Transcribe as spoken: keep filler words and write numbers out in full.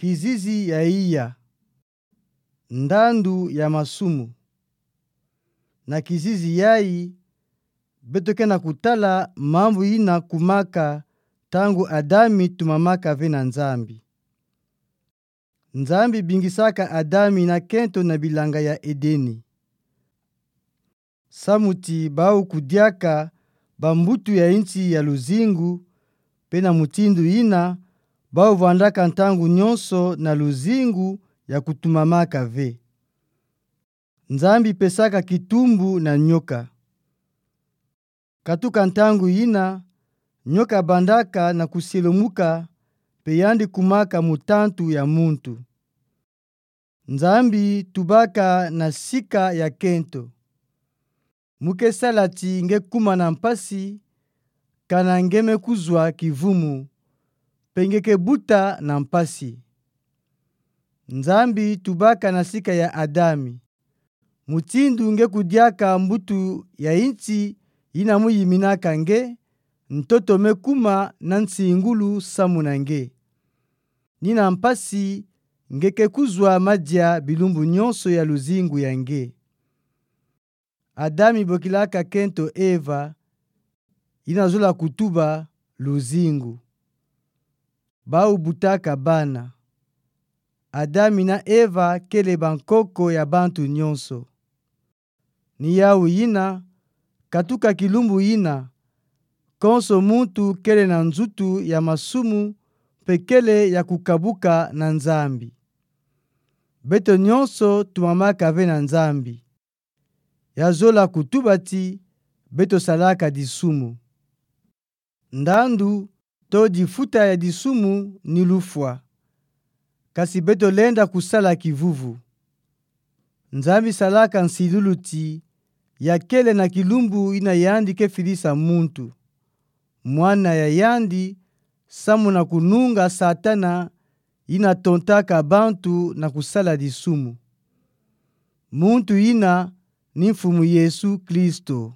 Kizizi ya iya. Ndandu ya masumu. Na kizizi yayi, beto ke na kutala mambu yina kumaka ntangu Adami tumamaka ve na Nzambi. Nzambi bingisaka Adami na kento na bilanga ya Edeni. Samu ti bau kudiaka bambutu ya insi ya luzingu, pe na mutindu yina, bau vandaka ntangu nyonso na luzingu ya kutumamaka ve. Nzambi pesaka kitumbu na nyoka. Katuka ntangu yina, nyoka bandaka na kusielumuka, pe yandi kumaka mutantu ya muntu. Nzambi tubaka na sika ya kento. Mu ke sala ti nge kuma na mpasi, kana nge me kuzwa kivumu, pe nge ke buta na mpasi. Nzambi tubaka na sika ya Adami. Mutindu nge kudiaka mbutu ya insi yina mu yiminaka nge, ntoto me kuma na nsingulu samu na nge. Ni na mpasi, nge ke kuzwa madia bilumbu nyonso ya luzingu ya nge. Adami bokilaka kento Eva, yina zola kutuba luzingu. Bau butaka bana. Adami na Eva kele bankoko ya bantu nyonso. Ni yawu yina, katuka kilumbu yina, konso muntu kele na nzutu ya masumu pe kele ya kukabuka na Nzambi. Beto nyonso tumamaka ve na Nzambi. Ya zola kutuba ti beto salaka disumu. Ndandu to difuta ya disumu ni lufwa. Kasi beto lenda kusala kivuvu. Nzambi salaka nsilulu ti ya kele na kilumbu yina yandi ke filisa muntu, mwana ya yandi, samu na kununga Satana yina tontaka bantu na kusala disumu. Muntu yina ni Mfumu Yesu Kristo.